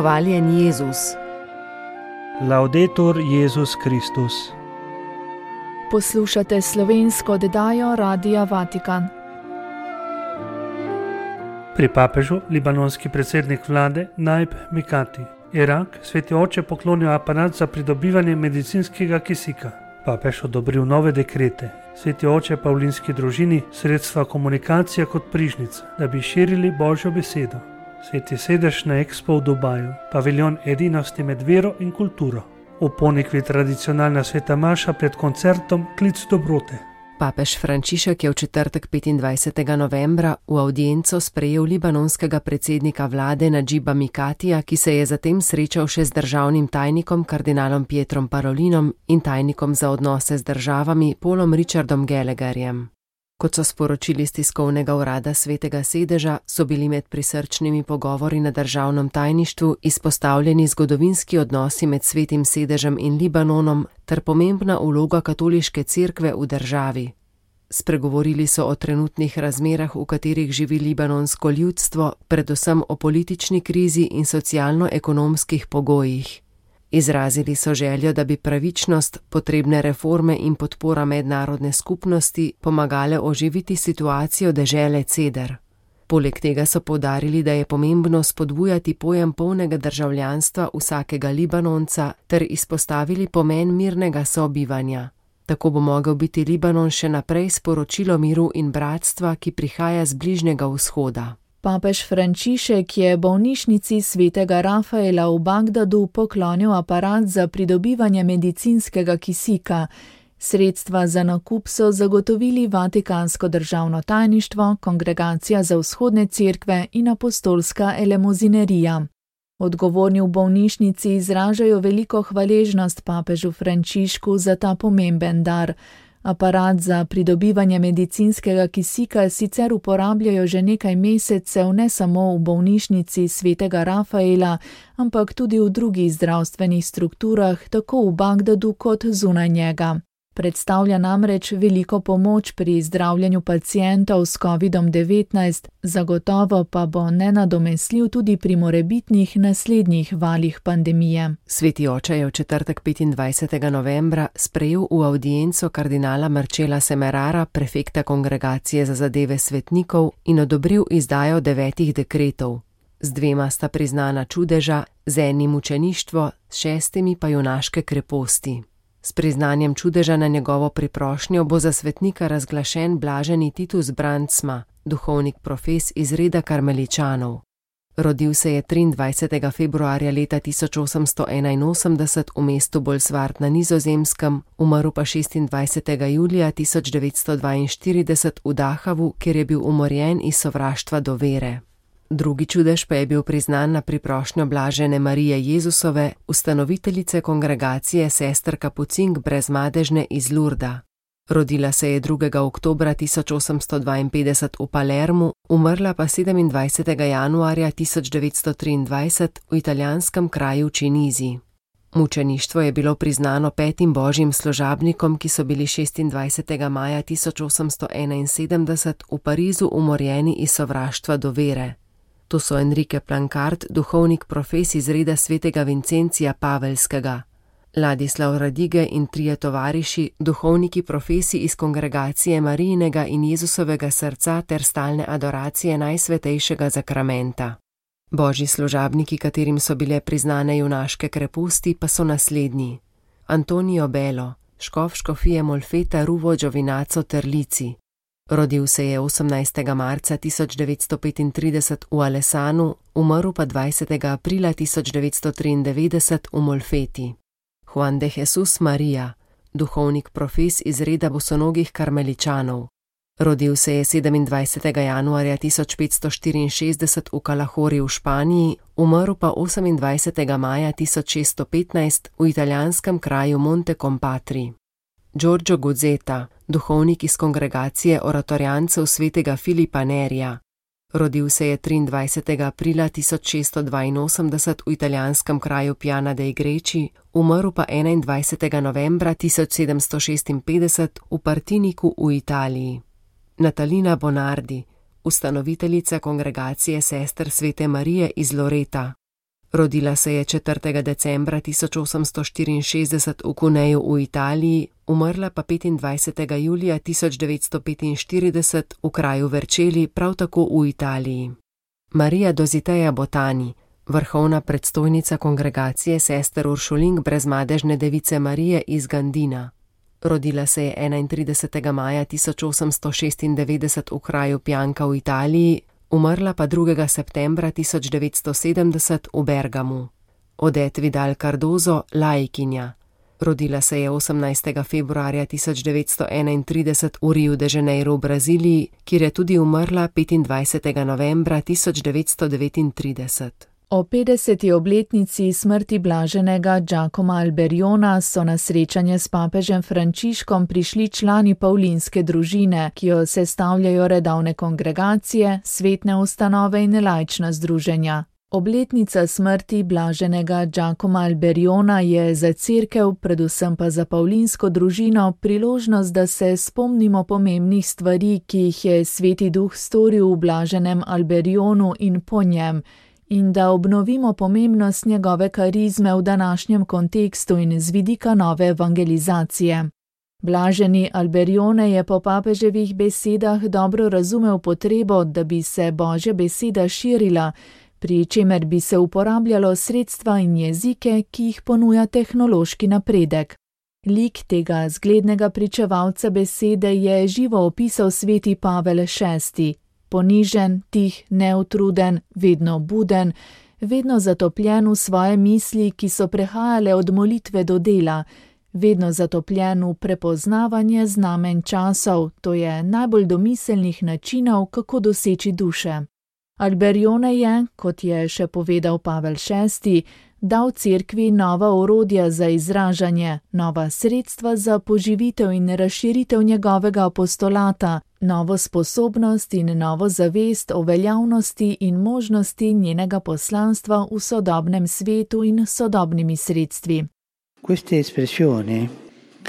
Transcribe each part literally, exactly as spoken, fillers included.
Hvaljen Jezus. Laudetur Jezus Kristus. Poslušate slovensko oddajo Radia Vatikan. Pri papežu libanonski predsednik vlade Naib Mikati. Irak sveti oče poklonil aparat za pridobivanje medicinskega kisika. Papež odobril nove dekrete. Sveti oče Pavlinski družini sredstva komunikacije kot prižnica, da bi širili Božjo besedo. Sveti sedež na Expo v Dubaju, paviljon edinosti med vero in kulturo. V Ponikvi tradicionalna sveta maša pred koncertom Klic dobrote. Papež Frančišek je v četrtek petindvajsetega novembra v avdienco sprejel libanonskega predsednika vlade Nadžiba Mikatija, ki se je zatem srečal še z državnim tajnikom kardinalom Pietrom Parolinom in tajnikom za odnose z državami Paulom Richardom Gallagherjem. Kot so sporočili iz tiskovnega urada Svetega sedeža, so bili med prisrčnimi pogovori na državnem tajništvu izpostavljeni zgodovinski odnosi med Svetim sedežem in Libanonom ter pomembna vloga katoliške cerkve v državi. Spregovorili so o trenutnih razmerah, v katerih živi libanonsko ljudstvo, predvsem o politični krizi in socialno-ekonomskih pogojih. Izrazili so željo, da bi pravičnost, potrebne reforme in podpora mednarodne skupnosti pomagale oživiti situacijo dežele Ceder. Poleg tega so poudarili, da je pomembno spodbujati pojem polnega državljanstva vsakega Libanonca ter izpostavili pomen mirnega sobivanja. Tako bo mogel biti Libanon še naprej sporočilo miru in bratstva, ki prihaja z Bližnjega vzhoda. Papež Frančišek je bolnišnici svetega Rafaela v Bagdadu poklonil aparat za pridobivanje medicinskega kisika. Sredstva za nakup so zagotovili Vatikansko državno tajništvo, Kongregacija za vzhodne cerkve in apostolska elemozinerija. Odgovorni v bolnišnici izražajo veliko hvaležnost papežu Frančišku za ta pomemben dar. Aparat za pridobivanje medicinskega kisika sicer uporabljajo že nekaj mesecev ne samo v bolnišnici svetega Rafaela, ampak tudi v drugih zdravstvenih strukturah, tako v Bagdadu kot zunaj njega. Predstavlja namreč veliko pomoč pri zdravljenju pacientov s kovidom devetnajst, zagotovo pa bo nenadomestljiv tudi pri morebitnih naslednjih valih pandemije. Sveti oče je v četrtek petindvajsetega novembra sprejel v avdienco kardinala Marcela Semerara, prefekta Kongregacije za zadeve svetnikov, in odobril izdajo devetih dekretov. Z dvema sta priznana čudeža, z enim mučeništvo, s šestimi pa junaške kreposti. S priznanjem čudeža na njegovo priprošnjo bo za svetnika razglašen blaženi Titus Brandsma, duhovnik profes iz reda karmeličanov. Rodil se je triindvajsetega februarja leta tisoč osemsto enainosemdeset v mestu Bolsward na Nizozemskem, umrl pa šestindvajsetega julija tisoč devetsto dvainštirideset v Dahavu, kjer je bil umorjen iz sovraštva do vere. Drugi čudež pa je bil priznan na priprošnjo blažene Marije Jezusove, ustanoviteljice kongregacije sester Kapucink brezmadežne iz Lurda. Rodila se je drugega oktobra tisoč osemsto dvainpetdeset v Palermu, umrla pa sedemindvajsetega januarja tisoč devetsto triindvajset v italijanskem kraju Činizi. Mučeništvo je bilo priznano petim božjim služabnikom, ki so bili šestindvajsetega maja tisoč osemsto enainsedemdeset v Parizu umorjeni iz sovraštva do vere. To so Enrique Plancard, duhovnik profes iz reda svetega Vincencija Pavelskega, Ladislav Radige in trije tovariši, duhovniki profesi iz kongregacije Marijinega in Jezusovega srca ter stalne adoracije najsvetejšega zakramenta. Božji služabniki, katerim so bile priznane junaške kreposti, pa so naslednji: Antonio Belo, škof škofije Molfeta Ruvo Giovinazzo Terlici. Rodil se je osemnajstega marca tisoč devetsto petintrideset v Alessanu, umrl pa dvajsetega aprila tisoč devetsto triindevetdeset v Molfeti. Juan de Jesus Maria, duhovnik profes iz reda bosonogih karmeličanov. Rodil se je sedemindvajsetega januarja tisoč petsto štiriinšestdeset v Calahorri v Španiji, umrl pa osemindvajsetega maja tisoč šeststo petnajst v italijanskem kraju Monte Compatri. Giorgio Guzzeta, duhovnik iz kongregacije oratorijancev svetega Filipa Nerija. Rodil se je triindvajsetega aprila tisoč šeststo dvainosemdeset v italijanskem kraju Piana dei Greci, umrl pa enaindvajsetega novembra tisoč sedemsto šestinpetdeset v Partiniku v Italiji. Natalina Bonardi, ustanoviteljica kongregacije sester Svete Marije iz Loreta. Rodila se je četrtega decembra tisoč osemsto štiriinšestdeset v Cuneju v Italiji, umrla pa petindvajsetega julija tisoč devetsto petinštirideset v kraju Vercelli, prav tako v Italiji. Marija Dositeja Botani, vrhovna predstojnica kongregacije sester Uršulink brezmadežne device Marije iz Gandina. Rodila se je enaintridesetega maja tisoč osemsto šestindevetdeset v kraju Pianka v Italiji, umrla pa drugega septembra tisoč devetsto sedemdeset v Bergamu. Odette Vidal Cardozo, laikinja. Rodila se je osemnajstega februarja tisoč devetsto enaintrideset v Riu de Janeiro v Braziliji, kjer je tudi umrla petindvajsetega novembra tisoč devetsto devetintrideset. O petdeseti obletnici smrti blaženega Giacoma Alberiona so na srečanje s papežem Frančiškom prišli člani pavlinske družine, ki jo sestavljajo redovne kongregacije, svetne ustanove in laična združenja. Obletnica smrti blaženega Giacoma Alberiona je za cerkev, predvsem pa za pavlinsko družino, priložnost, da se spomnimo pomembnih stvari, ki jih je Sveti Duh storil v blaženem Alberionu in po njem, in da obnovimo pomembnost njegove karizme v današnjem kontekstu in z vidika nove evangelizacije. Blaženi Alberione je po papeževih besedah dobro razumel potrebo, da bi se Božja beseda širila, pri čemer bi se uporabljalo sredstva in jezike, ki jih ponuja tehnološki napredek. Lik tega zglednega pričevalca besede je živo opisal sveti Pavel šesti. Ponižen, tih, neutruden, vedno buden, vedno zatopljen v svoje misli, ki so prehajale od molitve do dela, vedno zatopljen v prepoznavanje znamen časov, to je najbolj domiselnih načinov, kako doseči duše. Alberione je, kot je še povedal Pavel šesti, dal cerkvi nova orodja za izražanje, nova sredstva za poživitev in razširitev njegovega apostolata, novo sposobnost in novo zavest o veljavnosti in možnosti njenega poslanstva v sodobnem svetu in sodobnimi sredstvi. Queste espressioni,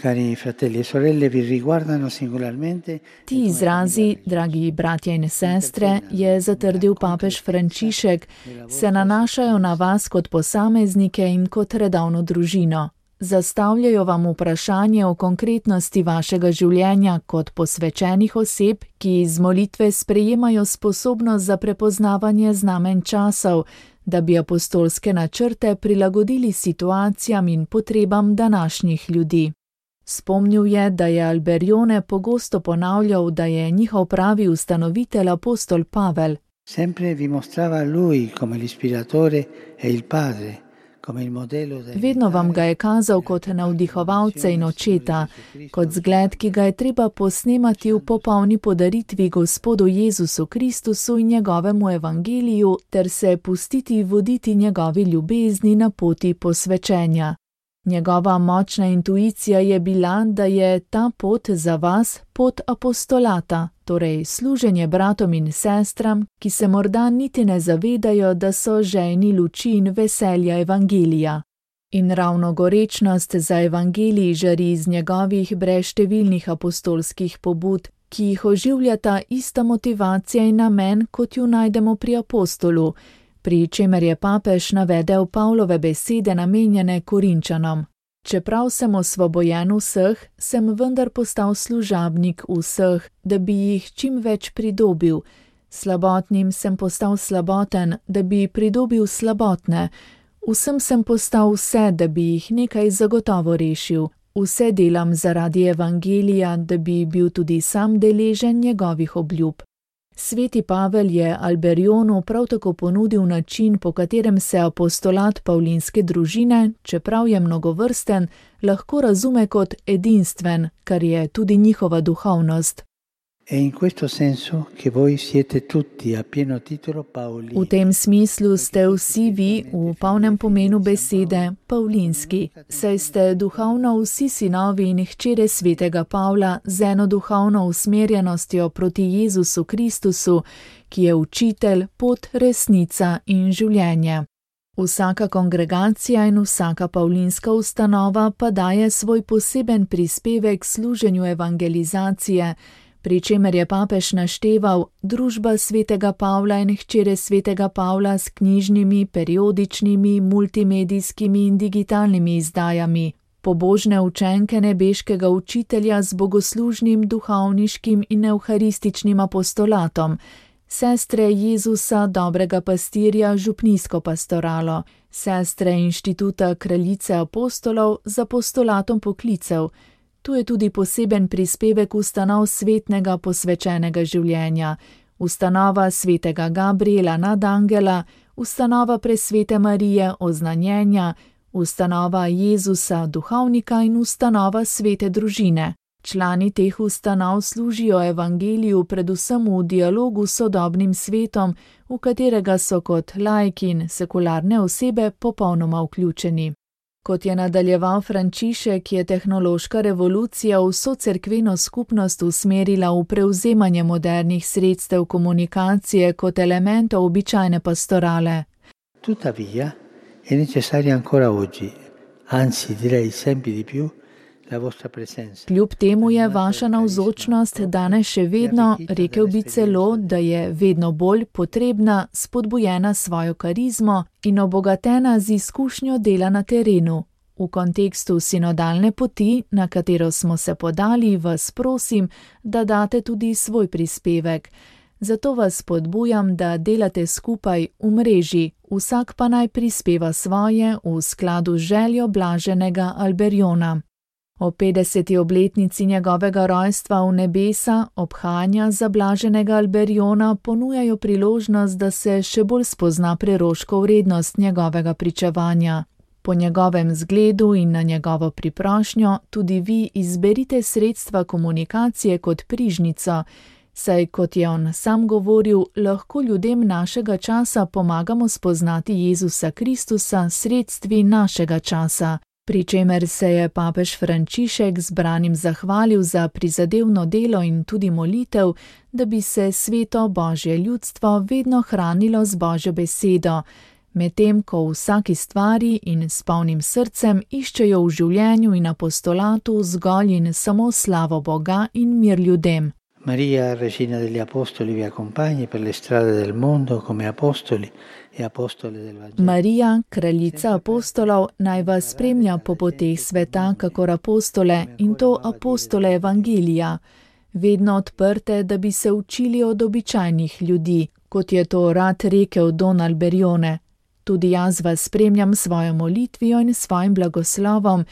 cari fratelli e sorelle, vi riguardano singolarmente. Ti izrazi, dragi bratje in sestre, je zatrdil papež Frančišek, se nanašajo na vas kot posameznike in kot redovno družino. Zastavljajo vam vprašanje o konkretnosti vašega življenja kot posvečenih oseb, ki iz molitve sprejemajo sposobnost za prepoznavanje znamen časov, da bi apostolske načrte prilagodili situacijam in potrebam današnjih ljudi. Spomnil je, da je Alberione pogosto ponavljal, da je njihov pravi ustanovitelj apostol Pavel. Sempre vi mostrava lui come l'ispiratore e il padre. Vedno vam ga je kazal kot navdihovalca in očeta, kot zgled, ki ga je treba posnemati v popolni podaritvi Gospodu Jezusu Kristusu in njegovemu evangeliju ter se pustiti voditi njegovi ljubezni na poti posvečenja. Njegova močna intuicija je bila, da je ta pot za vas pot apostolata, torej služenje bratom in sestram, ki se morda niti ne zavedajo, da so žejni luči in veselja evangelija. In ravno gorečnost za evangelij žari iz njegovih brezštevilnih apostolskih pobud, ki jih oživljata ista motivacija in namen, kot ju najdemo pri apostolu, pri čemer je papež navedel Pavlove besede namenjene Korinčanom. Čeprav sem osvobojen vseh, sem vendar postal služabnik vseh, da bi jih čim več pridobil. Slabotnim sem postal slaboten, da bi pridobil slabotne. Vsem sem postal vse, da bi jih nekaj zagotovo rešil. Vse delam zaradi evangelija, da bi bil tudi sam deležen njegovih obljub. Sveti Pavel je Alberionu prav tako ponudil način, po katerem se apostolat pavlinske družine, čeprav je mnogovrsten, lahko razume kot edinstven, kar je tudi njihova duhovnost. V tem smislu ste vsi vi, v polnem pomenu besede, pavlinski, saj ste duhovno vsi sinovi in hčere svetega Pavla z eno duhovno usmerjenostjo proti Jezusu Kristusu, ki je učitelj, pot, resnica in življenje. Vsaka kongregacija in vsaka pavlinska ustanova pa daje svoj poseben prispevek služenju evangelizacije, pri čemer je papež našteval družba svetega Pavla in hčere svetega Pavla s knjižnimi, periodičnimi, multimedijskimi in digitalnimi izdajami, pobožne učenke nebeškega učitelja z bogoslužnim, duhovniškim in evharističnim apostolatom, sestre Jezusa, dobrega pastirja, župnijsko pastoralo, sestre Inštituta kraljice apostolov z apostolatom poklicev. Tu je tudi poseben prispevek ustanov svetnega posvečenega življenja, ustanova svetega Gabriela nadangela, ustanova presvete Marije oznanjenja, ustanova Jezusa duhovnika in ustanova svete družine. Člani teh ustanov služijo evangeliju predvsem v dialogu s sodobnim svetom, v katerega so kot laiki in sekularne osebe popolnoma vključeni. Kot je nadaljeval Frančišek, je tehnološka revolucija vso cerkveno skupnost usmerila v prevzemanje modernih sredstev komunikacije kot elementov običajne pastorale. Tuttavia, è necessaria ancora oggi, anzi direi sempre di più, la vostra presenza. Kljub temu je vaša navzočnost danes še vedno, rekel bi celo, da je vedno bolj potrebna, spodbujena svojo karizmo in obogatena z izkušnjo dela na terenu. V kontekstu sinodalne poti, na katero smo se podali, vas prosim, da date tudi svoj prispevek. Zato vas spodbujam, da delate skupaj v mreži, vsak pa naj prispeva svoje v skladu z željo blaženega Alberiona. O petdeseti obletnici njegovega rojstva v nebesa obhajanja za blaženega Alberiona ponujajo priložnost, da se še bolj spozna preroško vrednost njegovega pričevanja. Po njegovem zgledu in na njegovo priprošnjo tudi vi izberite sredstva komunikacije kot prižnico, saj, kot je on sam govoril, lahko ljudem našega časa pomagamo spoznati Jezusa Kristusa s sredstvi našega časa. Pri čemer se je papež Frančišek zbranim zahvalil za prizadevno delo in tudi molitev, da bi se sveto Božje ljudstvo vedno hranilo z Božjo besedo, medtem ko v vsaki stvari in s polnim srcem iščejo v življenju in apostolatu zgolj in samo slavo Boga in mir ljudem. Maria, Regina degli Apostoli, vi accompagni per le strade del mondo come apostoli e apostole del Vangelo. Marija, kraljica apostolov, naj vas spremlja po poteh sveta kakor apostole in to apostole Evangelija, vedno odprte, da bi se učili od običajnih ljudi, kot je to rad rekel Don Alberione. Tudi jaz vas spremljam svojo molitvijo in svojim blagoslovom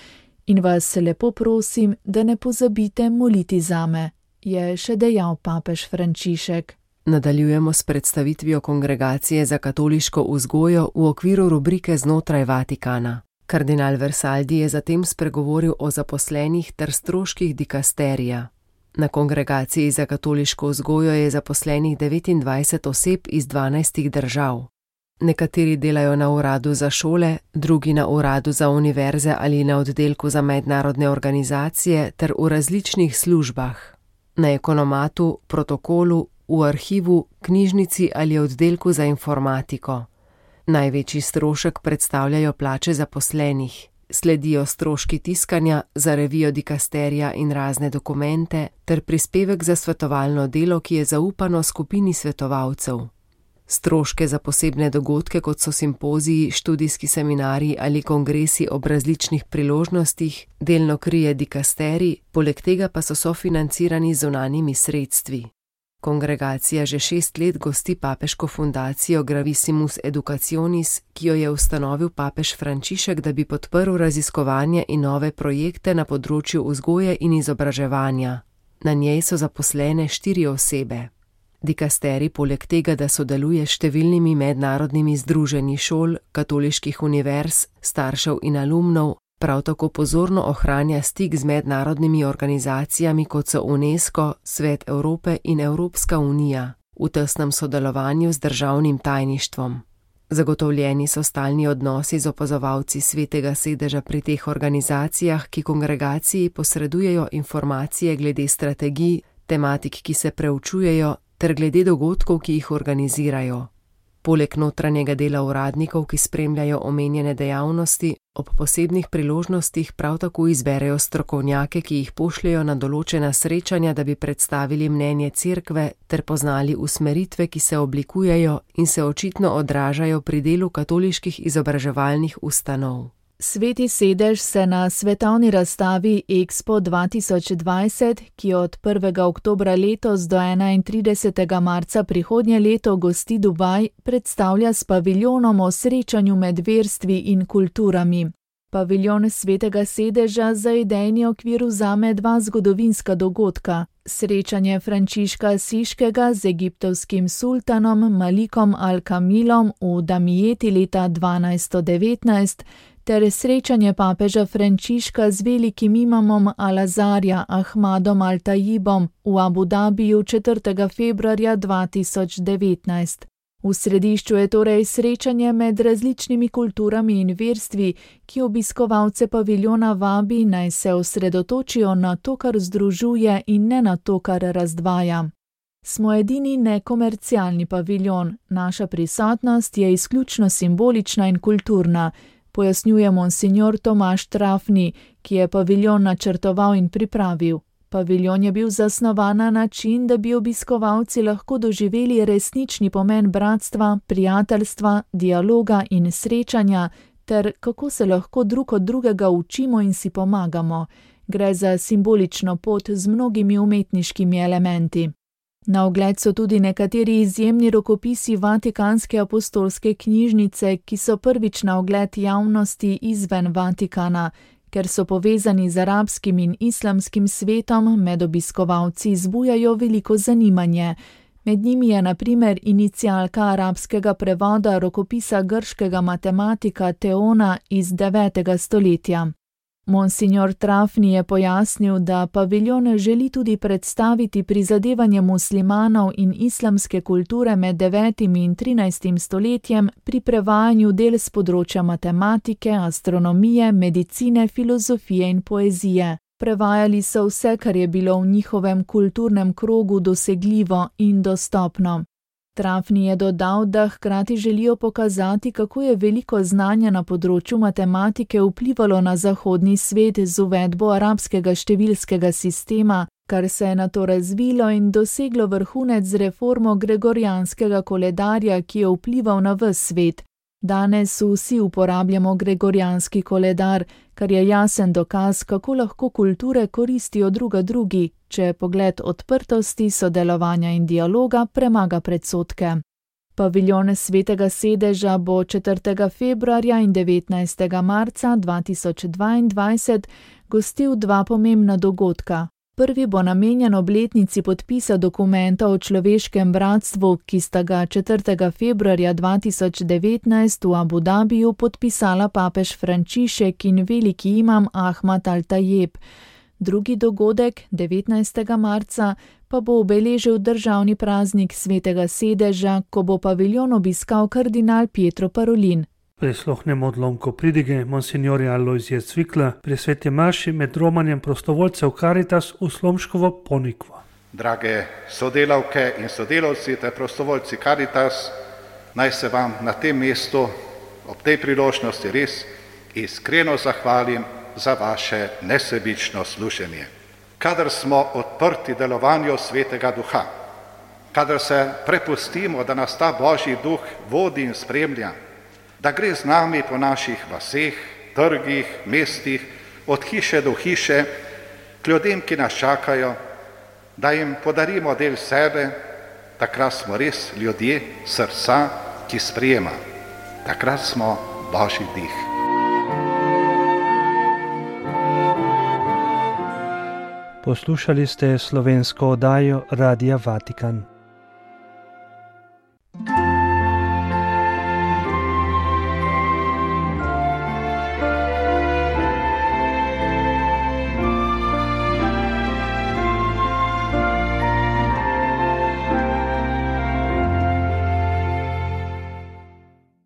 in vas lepo prosim, da ne pozabite moliti zame, je še dejal papež Frančišek. Nadaljujemo s predstavitvijo Kongregacije za katoliško vzgojo v okviru rubrike Znotraj Vatikana. Kardinal Versaldi je zatem spregovoril o zaposlenih ter stroških dikasterija. Na Kongregaciji za katoliško vzgojo je zaposlenih devetindvajset oseb iz dvanajstih držav. Nekateri delajo na uradu za šole, drugi na uradu za univerze ali na oddelku za mednarodne organizacije ter v različnih službah. Na ekonomatu, protokolu, v arhivu, knjižnici ali oddelku za informatiko. Največji strošek predstavljajo plače zaposlenih. Sledijo stroški tiskanja za revijo dikasterija in razne dokumente ter prispevek za svetovalno delo, ki je zaupano skupini svetovalcev. Stroške za posebne dogodke, kot so simpoziji, študijski seminarji ali kongresi ob različnih priložnostih, delno krije dikasterij, poleg tega pa so sofinancirani z zunanjimi sredstvi. Kongregacija že šest let gosti papeško fundacijo Gravissimus Educationis, ki jo je ustanovil papež Frančišek, da bi podprl raziskovanje in nove projekte na področju vzgoje in izobraževanja. Na njej so zaposlene štiri osebe. Dikasterij poleg tega, da sodeluje s številnimi mednarodnimi združenji šol, katoliških univerz, staršev in alumnov, prav tako pozorno ohranja stik z mednarodnimi organizacijami, kot so UNESCO, Svet Evrope in Evropska unija, v tesnem sodelovanju z državnim tajništvom. Zagotovljeni so stalni odnosi z opazovalci Svetega sedeža pri teh organizacijah, ki kongregaciji posredujejo informacije glede strategij, tematik, ki se preučujejo, ter glede dogodkov, ki jih organizirajo. Poleg notranjega dela uradnikov, ki spremljajo omenjene dejavnosti, ob posebnih priložnostih prav tako izberejo strokovnjake, ki jih pošljejo na določena srečanja, da bi predstavili mnenje cerkve ter poznali usmeritve, ki se oblikujejo in se očitno odražajo pri delu katoliških izobraževalnih ustanov. Sveti sedež se na svetovni razstavi Expo dva tisoč dvajset, ki od prvega oktobra letos do enaintridesetega marca prihodnje leto gosti Dubaj, predstavlja s paviljonom o srečanju med verstvi in kulturami. Paviljon Svetega sedeža za idejni okvir vzame dva zgodovinska dogodka: srečanje Frančiška Asiškega z egiptovskim sultanom Malikom al-Kamilom v Damijeti leta dvanajststo devetnajst, ter srečanje papeža Frančiška z velikim imamom Al-Azarja Ahmadom Al-Tajibom v Abu Dabiju četrtega februarja dva tisoč devetnajst. V središču je torej srečanje med različnimi kulturami in verstvi, ki obiskovalce paviljona vabi, naj se osredotočijo na to, kar združuje, in ne na to, kar razdvaja. Smo edini nekomercialni paviljon, naša prisotnost je izključno simbolična in kulturna, pojasnjuje monsignor Tomaž Trafni, ki je paviljon načrtoval in pripravil. Paviljon je bil zasnovan na način, da bi obiskovalci lahko doživeli resnični pomen bratstva, prijateljstva, dialoga in srečanja, ter kako se lahko drug od drugega učimo in si pomagamo. Gre za simbolično pot z mnogimi umetniškimi elementi. Na ogled so tudi nekateri izjemni rokopisi Vatikanske apostolske knjižnice, ki so prvič na ogled javnosti izven Vatikana. Ker so povezani z arabskim in islamskim svetom, med obiskovalci zbujajo veliko zanimanje. Med njimi je na primer inicialka arabskega prevoda rokopisa grškega matematika Teona iz devetega stoletja. Monsignor Trafni je pojasnil, da paviljon želi tudi predstaviti prizadevanje muslimanov in islamske kulture med devetim in trinajstim stoletjem pri prevajanju del z področja matematike, astronomije, medicine, filozofije in poezije. Prevajali so vse, kar je bilo v njihovem kulturnem krogu dosegljivo in dostopno. Trafni je dodal, da hkrati želijo pokazati, kako je veliko znanja na področju matematike vplivalo na zahodni svet z uvedbo arabskega številskega sistema, kar se je nato razvilo in doseglo vrhunec z reformo gregorijanskega koledarja, ki je vplival na ves svet. Danes vsi uporabljamo gregorijanski koledar, kar je jasen dokaz, kako lahko kulture koristijo druga drugi, če pogled odprtosti, sodelovanja in dialoga premaga predsodke. Paviljon Svetega sedeža bo četrtega februarja in devetnajstega marca dva tisoč dvaindvajset gostil dva pomembna dogodka. Prvi bo namenjen obletnici podpisa dokumenta o človeškem bratstvu, ki sta ga četrtega februarja dva tisoč devetnajst v Abu Dabiju podpisala papež Frančišek in veliki imam Ahmad Al-Tajib. Drugi dogodek, devetnajstega marca, pa bo obeležil državni praznik Svetega sedeža, ko bo paviljon obiskal kardinal Pietro Parolin. Prisluhnemo odlomku pridige monsignorja Alojzija Cvikla pri sveti maši med romanjem prostovoljcev Caritas v Slomškovo Ponikvo. Drage sodelavke in sodelavci ter prostovoljci Caritas, naj se vam na tem mestu ob tej priložnosti res iskreno zahvalim za vaše nesebično služenje. Kadar smo odprti delovanju Svetega Duha, kadar se prepustimo, da nas ta Božji Duh vodi in spremlja, da gre z nami po naših vaseh, trgih, mestih, od hiše do hiše, k ljudem, ki nas čakajo, da jim podarimo del sebe, takrat smo res ljudje srca, ki sprejema. Takrat smo Božji dih. Poslušali ste slovensko oddajo Radia Vatikan.